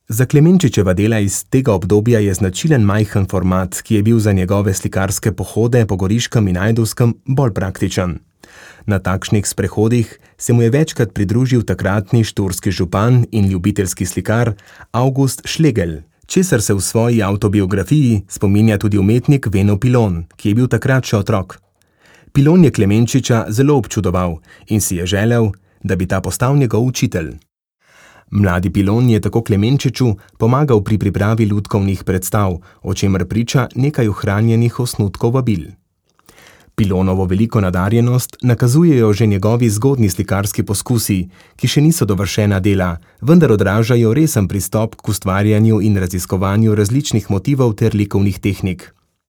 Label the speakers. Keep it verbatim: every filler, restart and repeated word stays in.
Speaker 1: Za Klemenčičeva dela iz tega obdobja je značilen majhen format, ki je bil za njegove slikarske pohode po Goriškem in Ajdovskem bolj praktičen. Na takšnih sprehodih se mu je večkrat pridružil takratni štorski župan in ljubiteljski slikar Avgust Šlegelj, česar se v svoji avtobiografiji spominja tudi umetnik Veno Pilon, ki je bil takrat še otrok. Pilon je Klemenčiča zelo občudoval in si je želel, da bi ta postal njegov učitelj. Mladi Pilon je tako Klemenčiču pomagal pri pripravi lutkovnih predstav, o čemer priča nekaj ohranjenih osnutkov vabil. Pilonovo veliko nadarjenost nakazujejo že njegovi zgodnji slikarski poskusi, ki še niso dovršena dela, vendar odražajo resen pristop k ustvarjanju in raziskovanju različnih motivov ter likovnih tehnik.